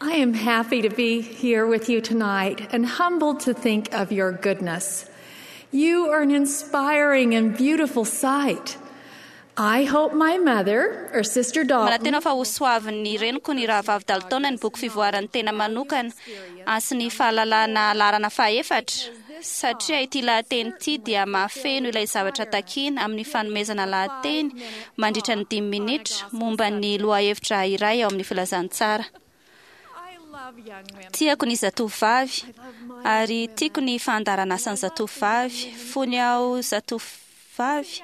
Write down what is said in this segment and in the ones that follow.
I am happy to be here with you tonight and humbled to think of your goodness. You are an inspiring and beautiful sight. I hope my mother or Sister Dalton. Manantena fa hosoavin'ny reniko ny rahavavy Dalton ny boky fivoaran'ny tena manokana sy ny fahalalana laharana fahefatra, satria ity lahateny ity dia mahafeno ilay zavatra takiana amin'ny fanomezana lahateny mandritra ny dimy minitra momba ny lohahevitra iray ao amin'ny filazantsara. Tiako ny zatovovavy ary tiako ny fandaharanasan'ny zatovovavy. Fony aho zatovovavy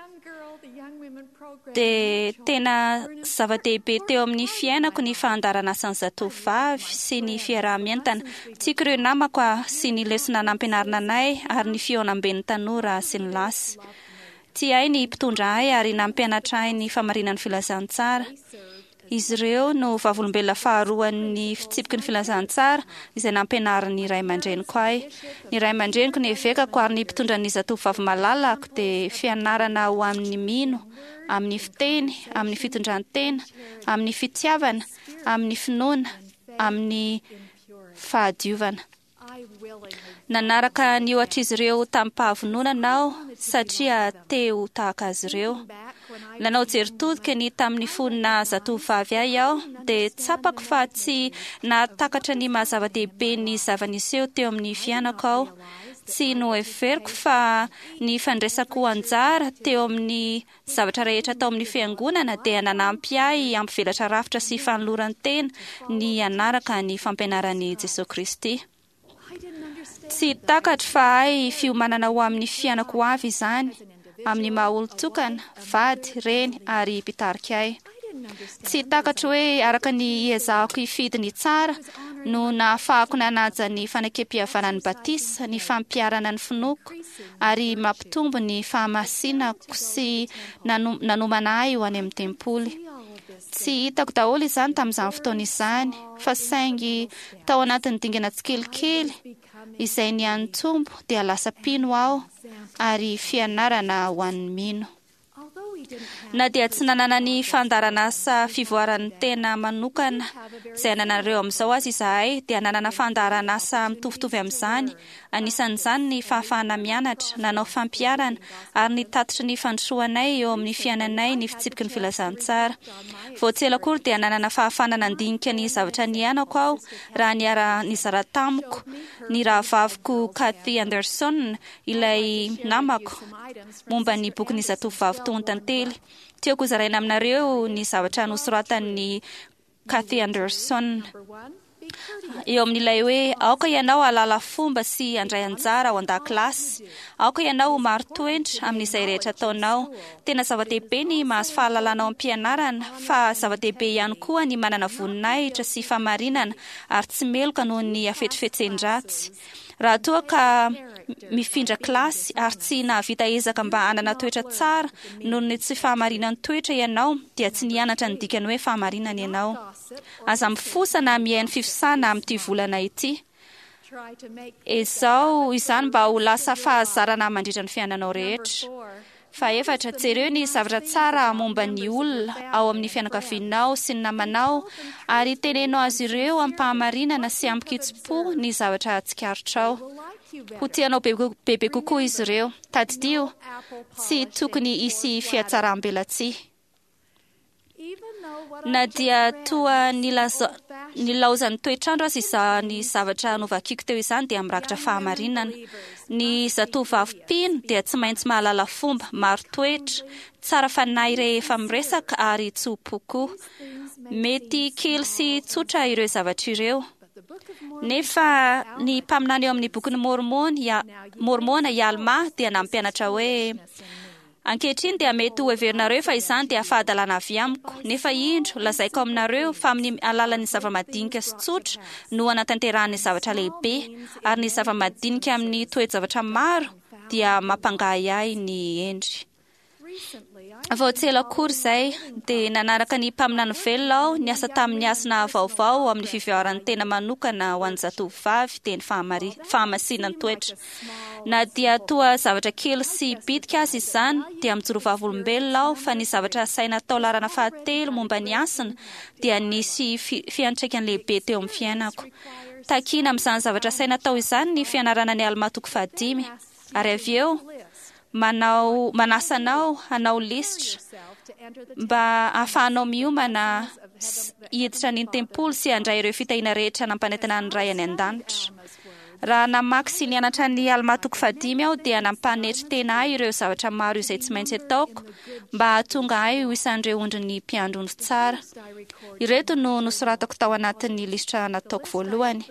dia tena zava-dehibe teo amin'ny fiainako ny fandaharanasan'ny zatovovavy sy ny fiaraha-mientana. Tiako ireo namako sy ny lesona nampianarina anay ary ny fihaonamben'ny tanora sy ny lasy. Tia ahy ny mpitondra ahy ary nampianatra ahy ny famarinan'ny filazantsara. Izy ireo no vavolombelona faharoan'ny fitsipiky ny filazantsara izay nampianarin'ny ray aman-dreniko ahy. Ny ray aman-dreniko, ny evekako ary ny mpitondra ny zatovovavy malalako dia fianarana ho amin'ny mino, amin'ny fiteny, amin'ny fitondran-tena, amin'ny fitiavana, amin'ny finoana, amin'ny fahadiovana. Nanaraka ny ohatr'izy ireo tamim-pahavononana aho satria te ho tahaka azy ireo. Nanao jery todika ny tamin'ny fony naha zatovovavy ahy aho, dia tsapako fa tsy nahatakatra ny maha zava-dehibe ny zava-niseho teo amin'ny fiainako aho. Tsy noheveriko fa ny fandraisako anjara teo amin'ny zavatra rehetra tao amin'ny Fiangonana dia nanampy ahy hampivelatra rafitra sy fanoloran-tena ny hanaraka ny fampianaran'i Jesoa Kristy. Tsy takatro fa hay fiomanana ho amin'ny fiainako ho avy izany, amin'ny maha-olon-tokana, vady, reny ary mpitarika ahy. Tsy takatro hoe araka ny hiezahako hifidy ny tsara no nahafahako nanaja ny fanekempihavanan'ny batisa, ny fampiharana ny finoako, ary mampitombo ny fahamasinako sy nanomana ahy ho any amin'ny tempoly. Tsy hitako daholo izany tamin'izany fotoana izany, fa saingy tao anatin'ny dingana tsikelikely izay nihanitombo dia lasa mpino aho ary fianarana ho an'ny mino. Na dia tsy nanana ny fandaharanasa fivoaran'ny tena manokana izay anananareo amin'izao aza izahay, dia nanana fandaharanasa mitovitovy amin'izany, anisan'izany ny fahafahana mianatra, nanao fampiharana, ary nitatitra ny fandrosoanay eo amin'ny fiainanay ny fitsipiky ny filazantsara. Vao tsy ela akory dia nanana fahafahana nandinika ny zavatra niainako aho raha niara-nizara tamiko ny rahavaviko Kathy Anderson, ilay namako, momba ny bokin'ny Zatovovavy Tohon-tantely. Tiako hozaraina aminareo ny zavatra nosoratan'i Kathy Anderson eo amin'ilay hoe Aoka ianao hahalala fomba sy handray anjara ao an-dakilasy. Aoka ianao ho marin-toetra amin'izay rehetra ataonao. Tena zava-dehibe ny mahazo fahalalana ao am-pianarana, fa zava-dehibe ihany koa ny manana voninahitra sy fahamarinana ary tsy meloka noho ny hafetsifetsen-dratsy. Raha toa ka mifindra kilasy ary tsy nahavita ezaka mba hanana toetra tsara noho ny tsy fahamarinan'ny toetra ianao, dia tsy nianatra ny dikan'ny hoe fahamarinana ianao. Aza mifosa na mihaino fifosana amin'ity volana ity. Ezao izany mba ho lasa fahazarana mandritra ny fiainanao rehetra. Fahefatra, jereo ny zavatra tsara momba ny olona ao amin'ny fianakavianao sy ny namanao, ary teneno azy ireo amim-pahamarinana sy amin-kitsim-po ny zavatra tsikaritrao. Ho tianao bebe kokoa izy ireo. Tadidio, tsy tokony hisy fihatsaram-belatsihy. Na dia toa nilaozan'ny toetr'andro aza izany zavatra novakiko teo izany dia mirakitra fahamarinana. Ny zatovovavy mpino dia tsy maintsy mahalala fomba, marin-toetra, tsara fanahy rehefa miresaka ary tso-po koa. Mety kely sy tsotra ireo zavatra ireo. Nefa ny mpaminany ao amin'ny Bokin'i Môrmôna, i Almà, dia nampianatra hoe, Ankehitriny dia mety ho heverinareo fa izany dia fahadalana avy amiko, nefa indro, lazaiko aminareo fa amin'ny alalan'ny zava-madinika sy tsotra no anatanterahany zavatra lehibe, ary ny zava-madinika amin'ny toe-javatra maro dia mampangahiahy ny hendry. Vao tsy ela akory izay dia nanaraka ny mpaminany velona aho niasa tamin'ny hasina vaovao amin'ny fivoaran'ny tena manokana ho an'ny zatovovavy, dia ny fahamasinan-toetra. Na dia toa zavatra kely sy bitika aza izany, dia mijoro vavolombelona aho fa ny zavatra asaina atao laharana fahatelo momba ny hasina dia nisy fiantraikany lehibe teo amin'ny fiainako. Takina amin'izany zavatra asaina atao izany ny fianarana ny Almà toko fahadimy, ary avy eo manao manasa anao hanao lisitra mba hahafahanao miomana hiditra ny tempoly sy handray ireo fitahiana rehetra nampanentana ny Ray any an-danitra. Raha namaky sy nianatra ny Almà toko fahadimy aho dia nampanetry tena ahy ireo zavatra maro izay tsy maintsy ataoko mba hahatonga ahy ho isan'ireo ondrin'ny mpiandry ondry tsara. Ireto no nosoratako tao anatin'ny lisitra nataoko voalohany.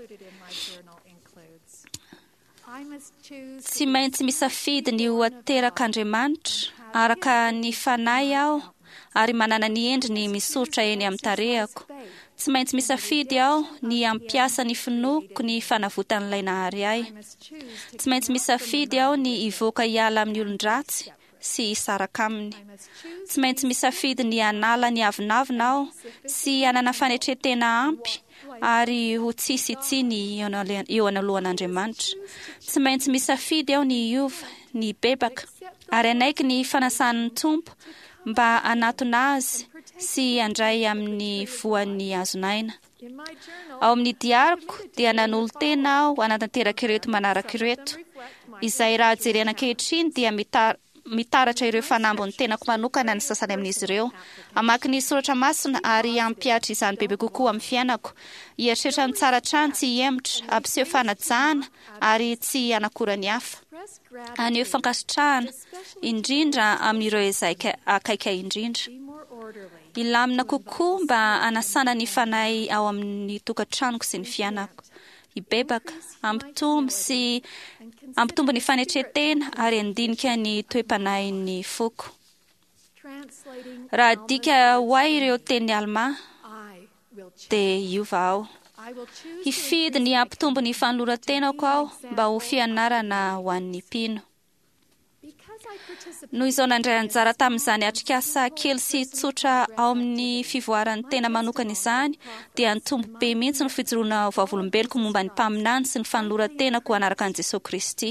Tsy maintsy misafidy ny ho aterak'Andriamanitra araka ny fanahy aho ary manana ny endriny misoritra eny amin'ny tarehako. Tsy maintsy misafidy aho ny hampiasa ny finoako ny fanavotan'ilay Nahary ahy. Tsy maintsy misafidy aho ny hivoaka hiala amin'ny olon-dratsy sy hisaraka aminy. Tsy maintsy misafidy ny hanala ny avonavona aho sy hanana fanetren-tena ampy ary ho tsisy tsiny eo anoloan'Andriamanitra. Tsy maintsy misafidy aho ny hiova, ny hibebaka, ary hanaiky ny fanasan'ny Tompo mba hanatona Azy sy handray amin'ny voan'ny hazon'aina. Ao amin'ny diariko dia nanolo-tena aho hanatanteraka ireto manaraka ireto, izay raha jerena ankehitriny dia mitaratra ireo fanambin'ny tenako manokana ny sasany amin'izy ireo. Hamaky ny soratra masina ary hampihatra izany bebe kokoa amin'ny fiainako. Hieritreritra ny tsara hatrany, tsy hihemotra, hampiseho fanajana ary tsy hanakora ny hafa. Haneho fankasitrahana, indrindra amin'ireo izay akaiky ahy indrindra. Hilamina kokoa mba hanasana ny fanahy ao amin'ny tokantranoko sy ny fiainako. Hibebaka, hampitombo sy hampitombo ny fanetren-tena ary handinika ny toe-panahin'ny foko. Raha adika ho ahy ireo tenin'i Almà, dia hiova aho. Hifidy ny hampitombo ny fanoloran-tenako aho mba ho fianarana ho an'ny mpino. Noho izao nandray anjara tamin'izany atrikasa kely sy tsotra ao amin'ny fivoaran'ny tena manokana izany, dia nitombo be mihitsy ny fijoroana ho vavolombeloko momba ny mpaminany sy ny fanoloran-tenako hanaraka an'i Jesoa Kristy.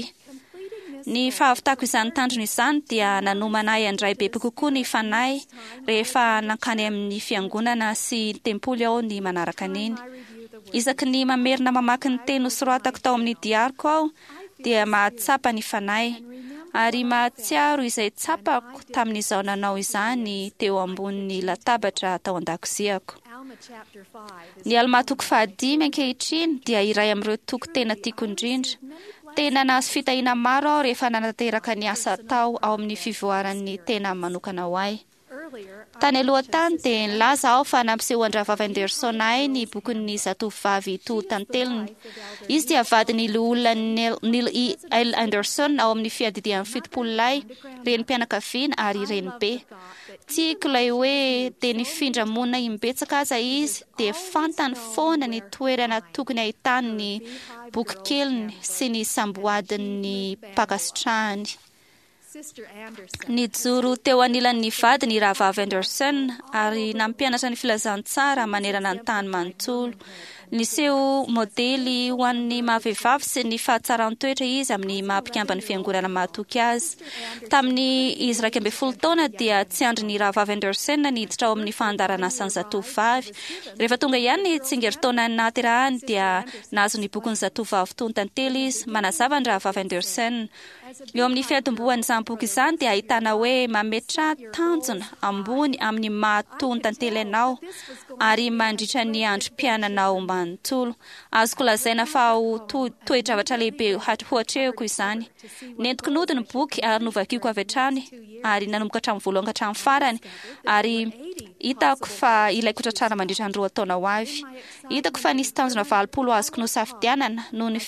Ny fahavitako izany tanjona izany dia nanomana ahy handray bebe kokoa ny Fanahy rehefa nankany amin'ny fiangonana sy tempoly aho ny manaraka an'iny. Isaky ny mamerina mamaky ny teny nosoratako tao amin'ny diariko aho dia mahatsapa ny Fanahy, ary mahatsiaro izay tsapako tamin'izaho nanao izany teo ambonin'ny latabatra tao an-dakoziako. Ny Almà toko fahadimy ankehitriny dia iray amin'ireo toko tena tiako indrindra. Tena nahazo fitahiana maro aho rehefa nanatanteraka ny asa atao ao amin'ny fivoaran'ny tena manokana ho ahy. Tany aloha tany dia nilaza aho fa nampisehoan-dRahavavy Anderson ahy ny bokin'ny Zatovovavy Toho Tanteliny. Izy dia vadin'ny Loholona Neil E. L. Anderson ao amin'ny Fiadidian'ny Fitopololahy, renim-pianakaviana ary renibe. Tiako ilay hoe dia nifindra monina imbetsaka aza izy dia fantany foana ny toerana tokony ahitany ny bokikeliny sy ny samboadin'ny mpankasitrahany. Nijoro teo anilan'ny vadiny i Rahavavy Anderson ary nampianatra ny filazantsara manerana ny tany manontolo. Niseho modely ho an'ny maha-vehivavy sy ny fahatsaran-toetra izy amin'ny maha-mpikamban'ny Fiangonana mahatoky azy. Tamin'ny izy 11 taona dia tsy andrin'ny Rahavavy Anderson ny hiditra ao amin'ny fandaharan'asan'ny zatovovavy. Rehefa tonga ihany ny tsingerin-taona nahaterahany dia nahazo ny bokin'ny Zatovovavy Tony Tantely izy. Manazava ny Rahavavy Anderson. Eo amin'ny fiantombohan'izany boky izany dia ahitana hoe mametraha tanjona ambony amin'ny maha tony tantely anao ary mandritra ny androm-piainanao manontolo. Azoko lazaina fa ho toe-javatra lehibe ho atrehiko izany. Nentiko nody ny boky ary novakiko avy hatrany ary nanomboka hatramin'ny voalohany ka hatramin'ny farany ary hitako fa ilaiko tratrarina mandritra ny roa taona ho avy. Hitako fa nisy tanjona 80 azoko nosafidianana noho ny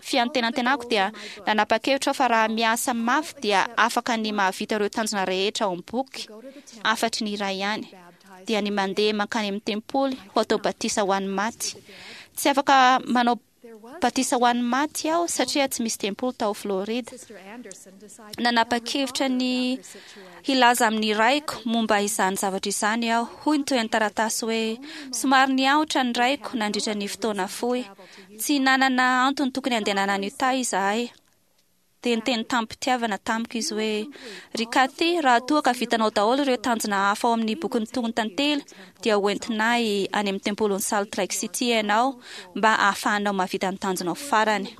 fiantenantenako dia nanapa-kevitra aho fa raha miasa mafy dia afaka ny mahavita ireo tanjona rehetra ao amin'ny boky afatry ny iray ihany, dia ny mandeha mankany amin'ny tempoly ho atao batisa ho an'ny maty. Tsy afaka manao batisa ho an'ny maty aho satria tsy misy tempoly tao Florida. Nanapa-kevitra ny hilaza amin'ny raiko momba izany zavatra izany aho. Hoy ny tohin'ny taratasy hoe, Somary niahotra ny raiko nandritra ny fotoana fohy. Tsy nanana antony tokony handehanana any Utah izahay. Dia niteny tamim-pitiavana tamiko izy hoe, Ry Kathy, raha toa ka vitanao daholo ireo tanjona hafa ao amin'ny bokin'ny Tonon-tantely, dia hoentinay any amin'ny tempolin'i Salt Lake City ianao mba hahafahanao mahavita ny tanjonao farany.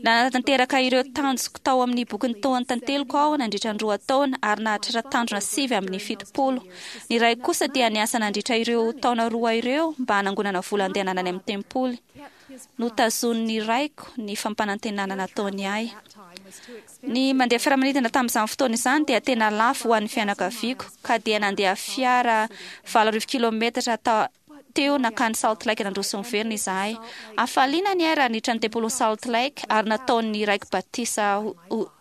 Nanatanteraka ireo tanjoko tao amin'ny bokin'ny Tonon-tanteliko aho nandritra ny 2 taona ary nahatratra tanjona 79. Ny raiko kosa dia niasa nandritra ireo taona 2 ireo mba hanangonana vola handehanana any amin'ny tempoly. Notazonin'ny raiko ny fampanantenana nataony ahy. Ny mandeha fiaramanidina tamin'izany fotoana izany dia tena lafo ho an'ny fianakaviako, ka dia nandeha fiara 80 kilometatra teo nankany Salt Lake nandroso niverina izahay. Hafaliana ny ahy raha niditra ny tempolin'i Salt Lake ary nataon'ny raiko batisa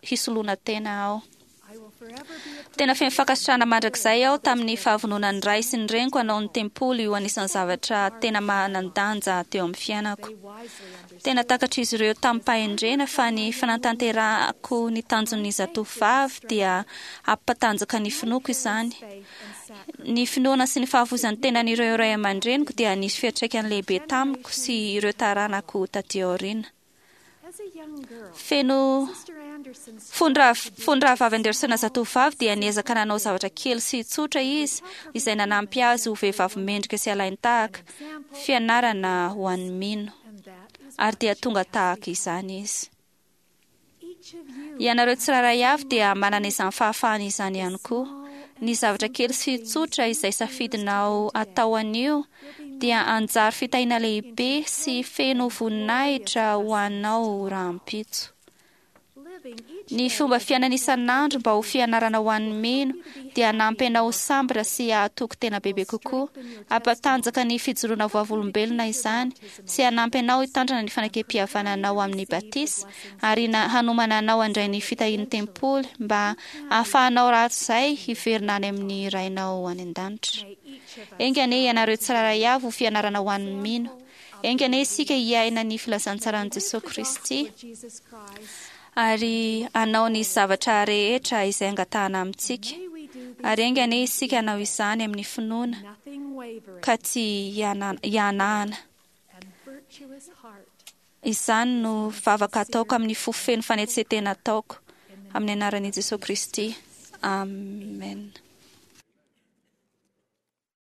hisoloana tena aho. Tena feno fankasitrahana mandrakizay aho tamin'ny fahavononan'ny ray sy ny reniko hanao ny tempoly ho anisan'ny zavatra tena manan-danja teo amin'ny fiainako. Tena takatr'izy ireo tamim-pahendrena fa ny fanatanterahako ny tanjon'ny zatovovavy dia hampatanjaka ny finoako izany. Ny finoana sy ny fahafoizan'ny tenan'ireo ray aman-dreniko dia nisy fiantraikany lehibe tamiko sy ireo taranako taty aoriana. Feno fony rahavavy Anderson zatovovavy dia niezaka nanao zavatra kely sy tsotra izy izay nanampy azy ho vehivavy mendrika sy alain-tahaka, fianarana ho an'ny mino. Ary dia tonga tahaka izany izy. Ianareo tsirairay avy dia manana izany fahafahana izany ihany koa. Ny zavatra kely sy tsotra izay safidinao atao anio dia anjary fitahiana lehibe sy feno voninahitra ho anao rahampitso. Ny fomba fiainana isan'andro mba ho fianarana ho an'ny mino dia hanampy anao ho sambatra sy hahatoky tena bebe kokoa. Hampatanjaka ny fijoroana vavolombelona izany sy hanampy anao hitandrina ny fanekem-pihavananao amin'ny batisa ary hanomana anao handray ny fitahian'ny tempoly mba hahafahanao rahatrizay hiverina any amin'ny Rainao any an-danitra. Enga anie ianareo tsirairay avy ho fianarana ho an'ny mino. Enga anie isika hiaina ny filazantsaran'i Jesoa Kristy ary hanao ny zavatra rehetra izay angatahana amintsika. Ary enga anie isika hanao izany amin'ny finoana ka tsy hihanahana. Izany no vavaka ataoko amin'ny fo feno fanetsen-tena ataoko amin'ny anaran'i Jesoa Kristy. Amen.